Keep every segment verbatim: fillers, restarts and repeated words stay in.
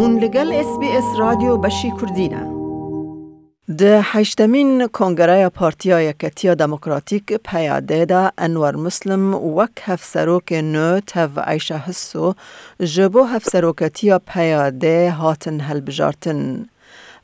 Hûn li gel S B S Radyo Beşî Kurdî ne. Di heştemîn Kongereya Partiya Yeketiya Demokratîk, P Y D, de Enwer Muslim wek hevserokê nû tev Eyşe Hisso ji bo hevseroketiya P Y D hatin hilbijartin.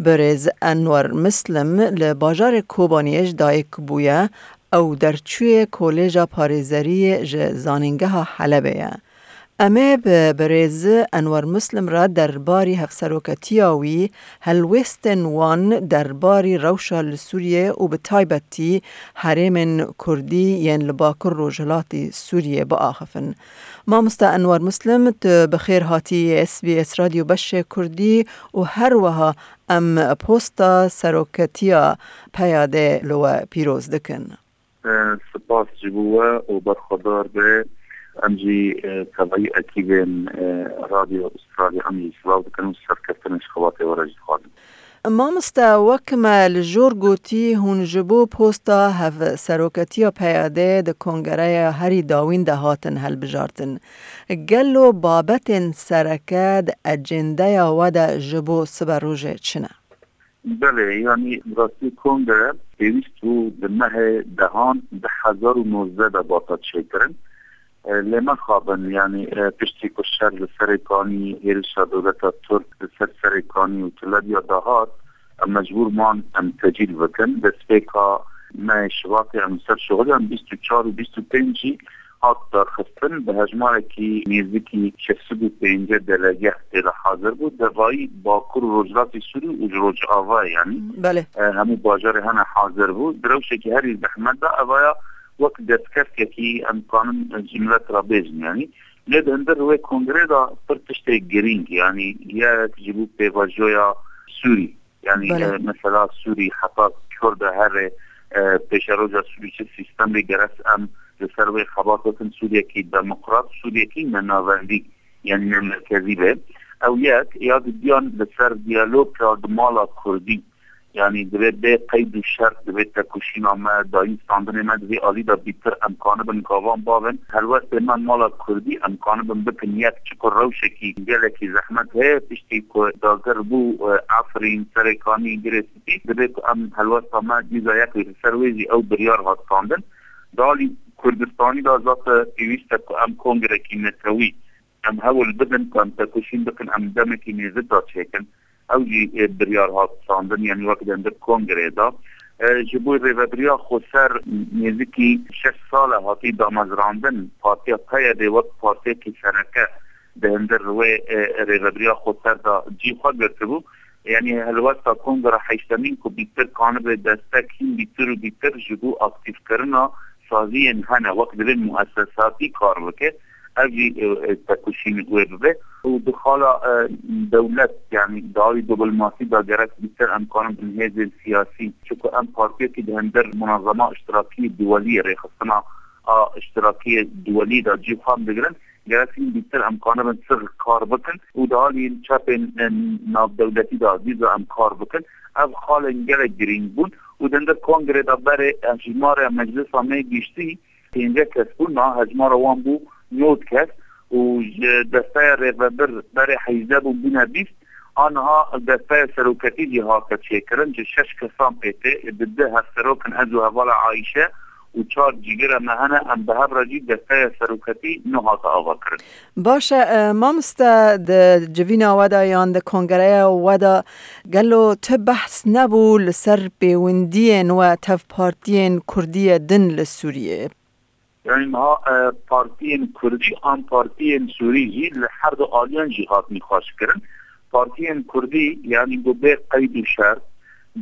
Birêz Enwer Muslim li bajarê Kobaniyê ji dayik bûye, ew derçûyê Kolêja Parêzeriyê ji Zanîngeha Helebê ye. Em ê bi birêz Enwer Muslim re derbarî hevseroketiya wî, helwêstên wan derbarî rewşa li Sûriyê û bi taybetî herêmên Kurdî yên li Bakur Rojhilatî Sûriyê biaxifin. Mamoste Enwer Muslim, tu bi xêr hatî S B S Radyo Beşê Kurdî û her wiha em posta seroketiya P Y D li we pîroz dikin. E, spas ji bo we û berxwedar be. Em jî, e, tevayî ekîbên, e, Radyo Australya em jî silav dikin û serkeftinên ji xebatê we re jî dixwazin. Mamoste, wek me li jor gotî, hûn ji bo posta hevseroketiya P Y D di kongereya herî dawîn de hatin hilbijartin. Gelo babetên sereke di ecendeya we de ji bo siberojê çi ne? Belê, yanî rastî kongre pêwîst bû di mehê dehan du hezar û nozdeh de bata çêkirin. E, lê mexabin, yanî, e, piştî ku şer li Serê Kanî, hêrişa dewleta Tirk li ser Serê Kanî û Tilebya dahat, em mecbûr man em tecîl bikin. Destpêka mehê Şibatê em li ser şixulî, em bîst û çar û bîst û pênc jî hat darxistin, bi hejmarekî nêzîkî şeş sed û pêncî delege tê de hazir bû. Devayî Bakur û Rojhilatê Sûrî û ji Rojavayê, yanî, Belê. e, hemû bajarê hene hazir bû. Di rewşekî herî zehmet de evaya wek destkeftiyekî em kanin ji milet re bêjin, yanî. Lê di hundir wê kongrê de pir tiştê girîng, yanî yek ji bo pêvajoya Sûrî. Yanî, Belê. e, mesela Sûrî heta Kurd e here, e, pêşeroja Sûrî çi sîstemê gerek em li ser wê xebat bikin, Sûriyekî demokrat, Sûriyekî ne navendî, yanî ne merkezî be. Ew yek, ya didiyan li ser diyaloga di mala Kurdî. Yanî divê bê qeyd û şert, divê tekoşîna me, dayîn standinê me di vê alî de bîtir em kanibin gavan bavin. Helwestê me mala Kurdî em kanibin bikin yek, çiku rewşekî gelekî zehmet heye, piştî ku dagir bû, e, Efrîn, Serê Kanî, Girê Spî, divê ku em helwesta me dîza yek wê. Li ser wê jî ew biryar hat standin. Di alî Kurdistanî de zate pêwîst e ku em kongrekî netewî em hewl bidin ku em tekoşîn bikin, em demekî nêzik de çêkin. Ew jî, e, biryar hat standin, yanî wek di hundir kongreyê de. E, ji bo rêvebiriya xweser nêzîkî şeş sal e hatî damezrandin, partiya P Y D wek partiyekî sereke di hundir wê, e, rêvebiriya xweser de cî xwe girtibû. Yanî helwesta kongra heştemîn ku bîtir kanibe destek hîn bîtir û bîtir ji bo aktîfkirina saziyên hene, wek divê muesesatî kar bike, ev jî, e, e, tekoşîn wê bibe. Û di xala, e, dewlet, yanî di alî diplomasî de gerek bîtir em kanin bin hêzên siyasî, çiku em partiyekî di hundir munazema iştirakî duwelî, rêxistina a iştirakiyê duwelî de cî xwe em digirin, gerek hîn bîtir em kanibin six kar bikin û di alî çepên, e, navdewletî de dîza em kar bikin. Ev xalên gelek girîng bûn û di hundir kongrê de berê, e, hejmara meclisa me giştî pênce kes bûn, niha hejmara wan bû nod kes û ji desteya rêvebir berê heyzde bûn, bûne bîst. Aniha desteya seroketî jî hate çêkirin, ji şeş kesan pê tê, di du hevserok in, ez û hevala Ayşe û çar cîgirê me hene, em bi hev re jî desteya seroketî nû hate avakirin. Baş e, e, mamoste, di civîna we de yan di kongereya we de gelo tu behs nebû li ser pêwendiyên we tev partiyên Kurdiyê din li Sûriyê? Yanî niha, e, partiyên Kurdî an partiyên Sûrî jî li her du aliyan jî hat nîqaşkirin. Partiyên Kurdî, yanî ku bê qeyd û şert,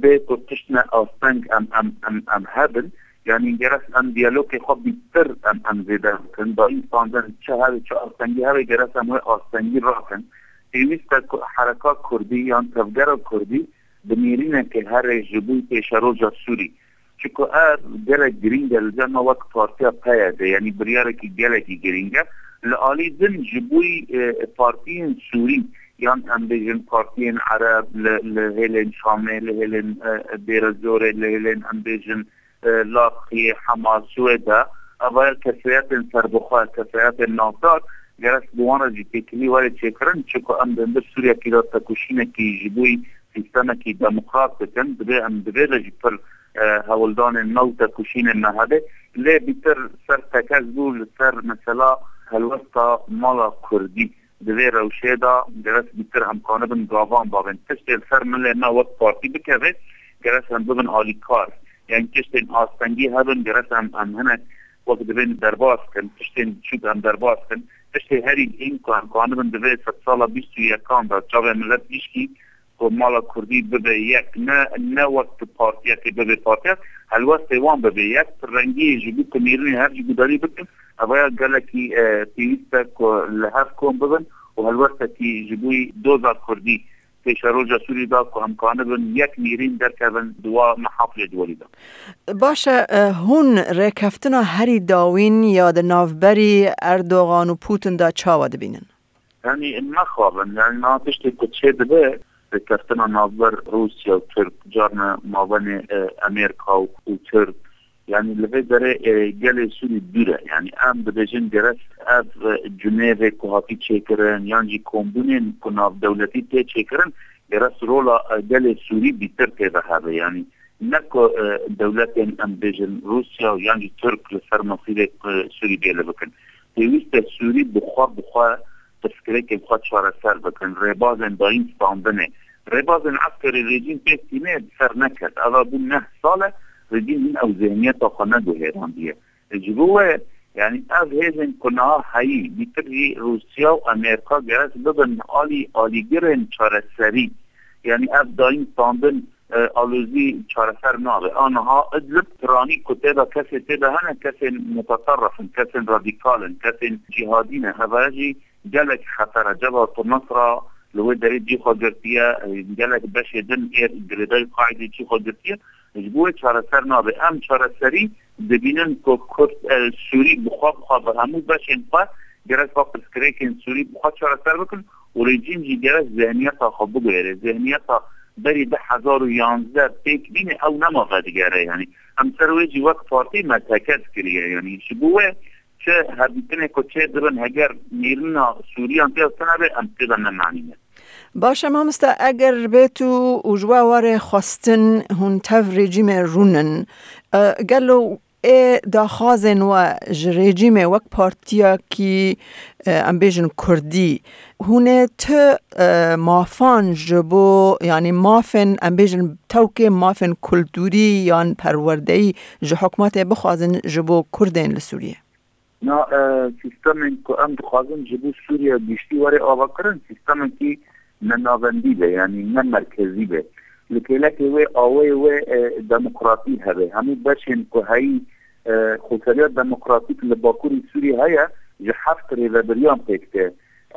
bê ku tiştine asteng em, em, em, em hebin, yanî gerek em diyalogê xwe bîtir em, em zêde bikin. Dayîn standin çi hebe, çi astengî hebe, gerek em wê astengî rakin. Pêwîst e ku hereka Kurdî yan tevgera Kurdî bi nêrînekê here ji bo pêşeroja Sûrî. Çiku ev gelek girîng e li cem me wek partiya P Y D, yanî biryarekî gelekî girîng e. Li alî din ji bo, e, partiyên Sûrî, yan em bêjin partiyên Ereb li, li hêlên Şamê, li hêlên, e, Dêrezorê, li hêlên em bêjin, e, Laxiyê, Hema, Swêde, eva kesayetên serbixwe, kesayetên navdar, Gerek bi wan re jî têkilî were çêkirin, çiku em di hundir Sûriyekî de tekoşînekî ji bo sîstemekî demokrat dikin, divê em divê de jî pir, e, hewldanên me û tekoşînên me hebe. Lê bîtir ser tekez bû li ser mesela helwesta mala Kurdî. Di vê rewşê de gerek bîtir em kanibin gavan babin. Tiştê li ser milê me wek partî bikeve, gerek em bibin alîkar. Yani tiştên astengî hebin, gerek em, em hinek wek divên derbas kin, tiştên çûk em derbas kin. Tiştê herî giring ku em kanibin di vê sedsala bîst û yekan de çavê milet gişkî ku mala Kurdî bibe yek, ne, ne wek tu partiyekê bibe partiyek, helwestê wan bibe yek, rengiyê ji bo ku nêrînê her jî gudarî bikin, evaya gelekî, e, pêwîst e ku li hev kom bibin û helwestekî ji bo doza Kurdî pêşeroja Sûrî da ku em kanibin yek nêrîn derkevin di wa mehaflê duwarî de. Baş e, e, hûn rêkeftina herî dawîn ya di navberî Erdogan û Putin de çawa dibînin? Yanî mexabin, yanî niha tiştê ku çê dibe, rêkeftina navber Rûsya û Tirk, carna mabenê, e, Amerîka û, û Tirk, yanî li vê derê, e, gelê Sûrî dûr e. Yanî em dibêjin gerek ev, e, cunêvê ku hatî çêkirin, yan jî kombûnên ku navdewletî tê çêkirin, gerek rola, e, gelê Sûrî bîtir tê de hebe. Yanî ne ku, e, dewletên em bêjin Rûsya yan jî Tirk li ser mesîrê, e, Sûrî bêle bikin. Pêwîst e Sûrî bi xwe, bi xwe pirsgirêkên xwe çareser bikin. Rêbazên dayîn standinê, rêbazên eskerî rejîm pêk tîne ser neket. Eva bû neh sal e, rejîm hîn ew zihniyeta xwe neguhêrandiye. Ji bo wê, yanî ev hêzên ku niha heyî, bîtir jî Rûsya û Amerîka gerek bibin alî, alîgirên çareserî. Yanî ev dayîn standin, e, alozî çareser nabe. A niha Idlib, piranî ku tê de kesê tê de hene, kesên mutaterrif in, kesên radîkal in, kesên cîhadî ne. Hevaya jî gelek xeter e. Cebhat Nusra li wê derê cî xwe girtiye, gelek beşê din ê girêdayî Qaîdê cî xwe girtiye. Ji bo wê çareser nabe. Em çareserî dibînin ku Kurd, e, Sûrî bi xwe, bi xwe, bi hemû beşên xwe gerek xwe pirsgirêkên Sûrî bi xwe çareser bikin û rejîm jî gerek zihniyeta xwe biguhere. Zihniyeta berî du hezar û yanzdeh pêk bîne ew nema vedigere. Yanî em ser wê jî wek partî me tekez kiriye. Yanî ji bo wê çi hevdîtinê ku çê dibin, heger nêrîna Sûriyan tê de tune be, em tê de ne manî ne. Baş e mamoste, eger bêt û, û ji we were xwestin hûn tev rejîmê rûnin, e, gelo ê daxwazên we ji rejîmê wek partiyekî, e, em bêjin Kurdî, hûn ê ti, e, mafan ji bo, yanî mafên, em bêjin tewkê mafên kulturî yan perwerdeyî ji hikûmetê bixwazin ji bo Kurdên li Sûriyê? Na, e, sîstemên ku em dixwazin ji bo Sûriya giştî were avakirin, sîstemekî nenavendî be, yanî ne merkezî be. Li kêlekê wê awayê wê, e, demokratî hebe. Hemû beşên ku heyî, e, xweseriya demokratîk li Bakurê Sûrî heye, ji heft rêvebiriyan pêk tê.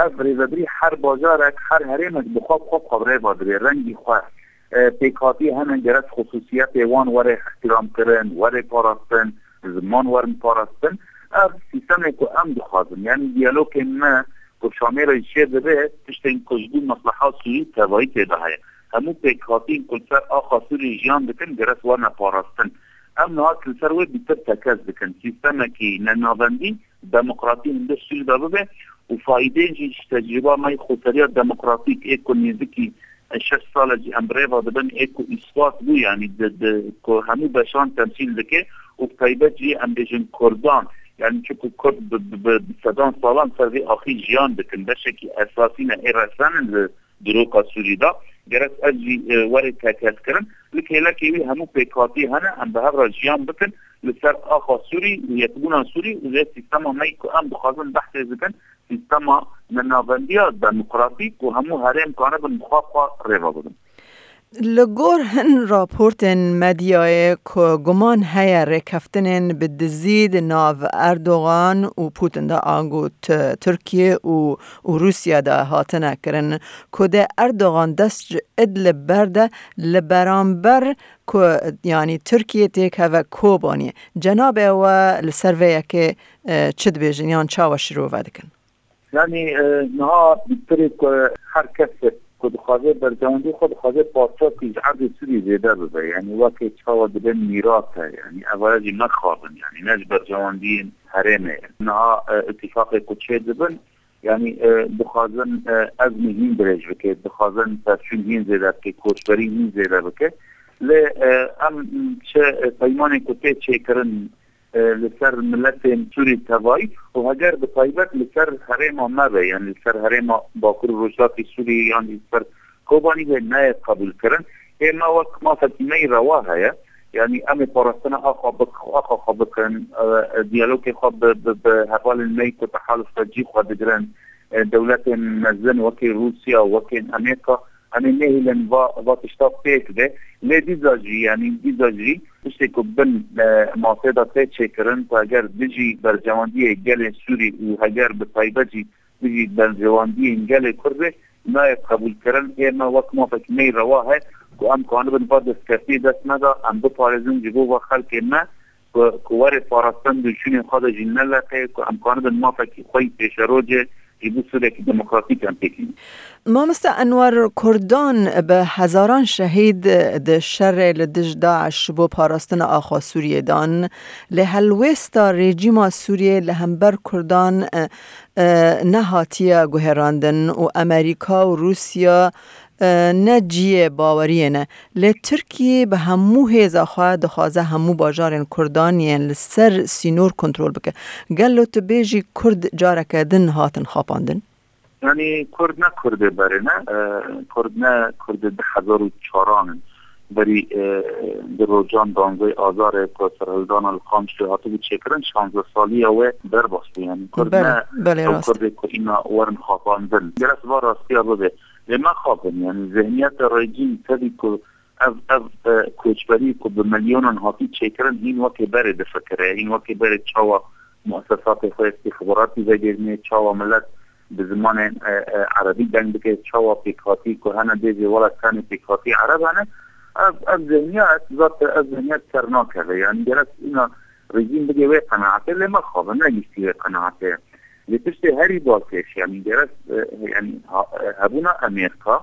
Ev rêvebirî her bajarek, her herêmek bi xwe, bi xwe, bi xwe rêva dibê, rengî xwe. E, pêkhatî hene gerek xusûsiyetê wan were îhtîramkirin, were parastin, ziman werin parastin. Ev sîstemê ku em dixwazin. Yanî diyalogên me ku Şamê re jî çê dibe, tiştên ku ji bo mesleha Sûrî tevayî tê de heye. Hemû pêkhatîn ku li ser axa Sûrî jiyan dikin, gerek werne parastin. Em niha li ser wê bîtir tekez dikin. Sîstemekî nenavendî demokratî hundir Sûrî de bibe û faîdeyên jî ji tecrûba me yê xweseriya demokratîk ê ku nêzikî şeş sal e jî em bi rêva dibin, ê ku îspat bû, yanî di, di, ku hemû beşan temsîl dike û bi taybet jî em bêjin Kurdan, yanî çiku Kurd bi, bi, bi, bi sedan salan ser vê axî jiyan dikin, beşekî esasî ne ê resen in li diroka Sûrî de. Gerek ev jî, e, were tekez kirin. Li kêlekê wî hemû pêkhatî hene, em bi hev re jiyan bikin li ser axa Sûrî û yekbûna Sûrî û vê sîstema me yî ku em dixwazin behsê dikin, sîstema nenavendiya demokratîk ku hemû herêm kanibin bi xwe xwe rêve bibin. Li gor hin raportên medyayê ku guman heye rêkeftinên bi dizî di nav Erdogan û Putin de, ango T-, Tirkiye û, û Rûsya de hatine kirin, ku dê Erdogan dest ji Idlib berde li beramber ku, yanî Tirkiye têkeve Kobaniyê. Cenabê we li ser vê yekê, e, çi dibêjin yan çawa şirove dikin? Yanî, e, niha bîtirê ku her kesek ku dixwaze berjewendî xwe dixwaze parçakî ji erdê Sûrî zêde bibe. Yanî weke çawa dibe mîrat e. Yanî evaya jî mexabin. Yanî ne ji berjewendiyên herêmê ye. Niha, e, îtîfaqê ku çê dibin, Yanî e, dixwazin e, ezmî hîn dirêj bike, dixwazin pevçûn hîn zêde bike, koçberî hîn zêde bike. Lê e, em çi peymanê ku tê çêkirin e, li ser miletên Sûrî tevayî û heger bi taybet li ser herêma me be, yanî li ser herêma Bakur û Rojhilatê Sûriyê yan jî li ser Kobanî be nayê qebûlkirin. Ê me wek mafekî me yî rewa heye. Yanî em ê parastina axa bik-, axa xwe bikin, e, e, diyalogê xwe bi, bi, bi hevalên me yî ku tehaluf te cî xwe digirin, e, dewletên mezin wekî Rûsya, wekî Amerîka, em ê nehêlin va, va tişta pêk be. Lê dîsa jî, yanî dîsa jî tiştê ku bin, e, masê de tê çêkirin, ku heger dijî berjewendiyê gelê Sûrî û heger bi taybet jî dijî berjewendiyên gelê Kurd be, nayê qebûlkirin. Ê me wek mafekî me yî rewa heye ku em kanibin va destkeftiyê dest me de, em biparêzin ji bo va xelkê me ku, ku were parastin di şûnên xwe de jî neleqe, ku em kanibin mafekî xwe yî pêşerojê ji bo Sûriyekî demokratîk em pêk hînin. Mamoste Enwer, Kurdan bi hezaran şehîd di şerê li dij DAIŞ ji bo parastina axa Sûriyê dan, lê helwêsta rejîma Sûriyê li hember Kurdan, e, e, nehatiye guherandin û Amerîka û Rûsya, e, ne cihê baweriyê ne. Lê Tirkiyê bi hemû hêza xwe dixwaze hemû bajarên Kurdan yên li ser sînor kontrol bike. Gelo tu bêjî Kurd careke din hatin xapandin? Yanî Kurd ne Kurdê berê ne, e, Kurd ne Kurdê du hezar û çaran in. Berî, e, di rojan danzey Azarê ku serhildana li Qamişlê hatibû çêkirin, şanzdeh saliya wê derbas bû. Yanî Kurd Belê, ne belê ew rast. Kurdê ku îna werin xapandin. Gerek va rastiya bibe. Lê me xapin, yanî zihniyeta rejîm tevî ku ev, ev, e, koçberî ku bi milyonan hatî çêkirin, hîn wekê berê difikire, hîn wekê berê çawa muessesatê xwe îstîxbaratî vegirîne, çawa milet bi zimanê, e, e, erebî deng bike, çawa pêkhatî ku hene bêjê wela tenê pêkhatî ereb hene. Ev, ev zihniyet, zat ev zihniyet ser nakeve. Yanî gerek îna rejîm bigê wê qenaetê, lê me xapin, ne giştî wê qenaetê ye. Lê tiştê herî balkêş, yanî gerek, e, yanî ha-, e, hebûna Amerîka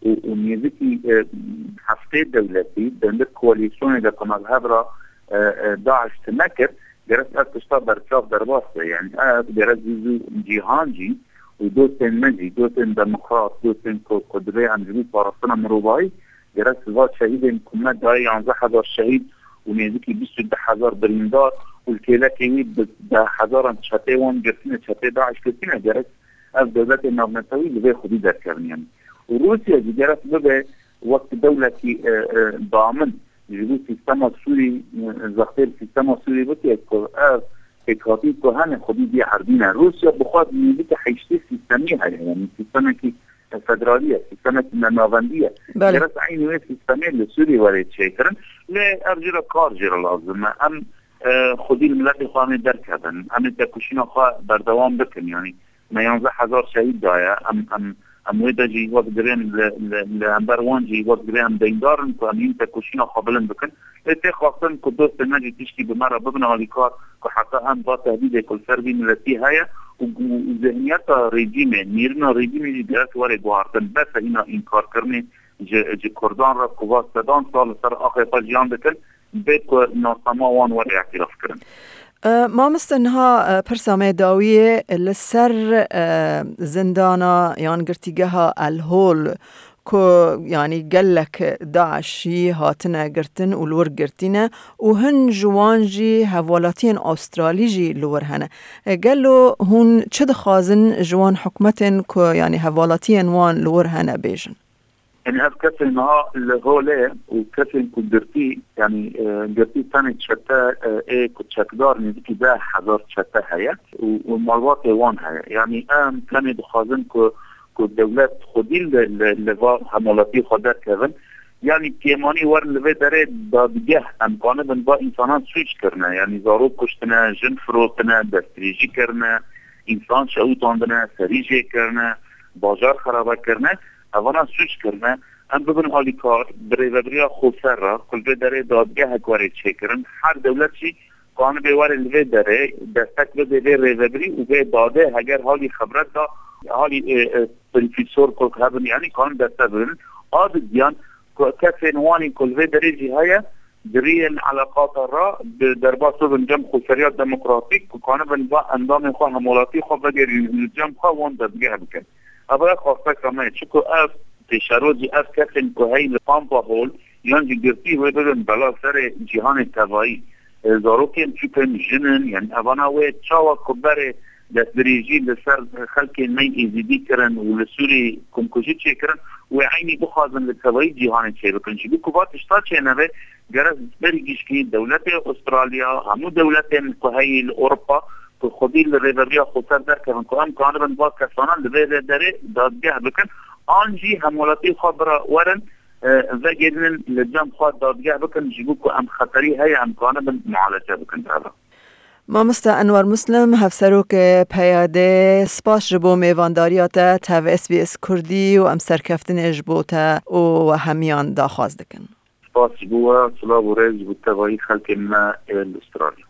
û, û nêzikî, e, heftê dewletî di hundir koalîsyonê de ku navhev re, e, e, DAIŞ tune kir, gerek ev tişta berçav derbas be. Yanî ev gerek zû zû cîhan jî û dostên me jî, dostên demokrat, dostên ku, ku divê em ji bo parastina mirovahî, gerek va şehîdên ku me daye yanzdeh hezar şehîd û nêzikî bîst û du hezar birîndar û li kêlekê wî bi deh hezaran çetê wan girtine, çetê DAIŞ girtine, gerek ev dewletê navnetewî li vê xwedî derkevin yanî. Û Rûsya jî gerek bibe wek dewletî, e, e, damin ji bo sîstema Sûrî, e, zextê li sîstema Sûrî bike ku ev pêkhatî ku hene xwedî bî erdîne. Rûsya bi xwe nêzîkî heştê sîstemî heye, yanî sîstemekî federalî ye, sîstemekî navendî ye. Belê. Gerek eynî wê sîstemê li Sûrî were çêkirin. Lê ev jî re kar jî re lazim e. Em, e, xwedî li miletê xwe em ê derkevin. Em ê tekoşîna xwe berdewam bikin. Yanî me yanzdeh hezar şehîd daye. Em, em, em wê de jî wek divên li, li, li hember wan jî wek divê em deyndar in ku em hîn tekoşîna xwe bilind bikin. Lê tê xwestin ku dostên me jî tiştî bi me re bibin alîkar ku heta em va tehdîdê ku li ser vî miletî heye û, û, û zihniyeta rejîmê, nêrîna rejîmê jî gerek were guhartin. Bes e hîna înkarkirinê ji, ji Kurdan re ku va sedan sal li ser axê xwe jiyan dikin, bê ku nasnama wan were îtirafkirin. E, mamoste, niha, e, pirsa me dawiyê li ser, e, zindana yan girtîgeha El Hol ku, yanî, gelek DAIŞî hatine girtin û li wir girtîne û hin ji wan jî hevalatiyên Astralî jî li wir hene. E, gelo hûn çi dixwazin ji wan hikûmetên ku, yanî, hevalatiyên wan li wir hene bêjin? Yanî ev kesên niha li holê û kesên ku girtî, yanî, e, girtî tenê çete, e, ê ku çekdar nêzîkî deh hezar çete heye û, û malbatê wan heye. Yanî em tenê dixwazin ku, ku dewlet xwedî li, li, li va hemwelatî xwe derkevin. Yanî pêmanî werin li vê derê dadgeh, em kanibin va însanan sûc kirine. Yanî zarok kuştine, jin firotine, destdirêjî kirine, însan şewitandine, serî jê kirine, bajar xerabe kirine. Evana sûc kirine. Em bibin alîkar bi rêvebiriya xweser re, ku li vê derê dadgehek were çêkirin. Her dewlet jî kanibê were li vê derê destek bide vê rêvebirî û vê dadê, heger halî xebret da, halî, e, e, profesor ku hebin, yanî kanin destek bidin. A di diyan ku kesên wanî ku li vê derê jî heye, Di riyên eleqata re bi derbas bibin cem xweseriya demokratîk ku kanibin va endamên xwe hemwelatî xwe vegerînin li cem xwe wan dezgeh bikin. Ev e xwesteka me ye, çiku ev pêşerojî, ev kesên ku heyî li Pampa Hol yan jî girtî wê bibin bela serê cîhanê tevayî. E, zarokên çûk in, jin in, yanî evana wê çawa ku berê destdirêjî li ser xelkên me Êzîdî kirin û li Sûrî komkujî çêkirin, wê eynî bixwazin li tevayî cîhanê çêbikin. Ji bo ku va tişta çênebe, gerek berî gişkî dewletê Australya, hemû dewletên ku heyî li Ewropa ku xwedî li rêveberiya xweser derkevin ku em kanibin va kesana li vê derê dadgeh bikin, an jî hemwelatî xwe bira werin, e, vegerînin li cem xwe dadgeh bikin, ji bo ku em xeterî heye em kanibin mualece bikin. Ev e. Mamoste Enwer Muslim, Hevserokê P Y D, spas ji bo mêvandariya te tev S B S Kurdî û em serkeftinê ji bo te û we hemiyan daxwaz dikin. Spas ji bo we, silav û rêz ji bo tevayî xelkên me ên li Australya.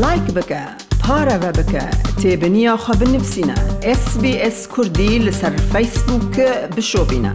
Like bike, pareve bike, têbiniya xwe binivîsîne. S B S Kurdî li ser Facebook bişopîne.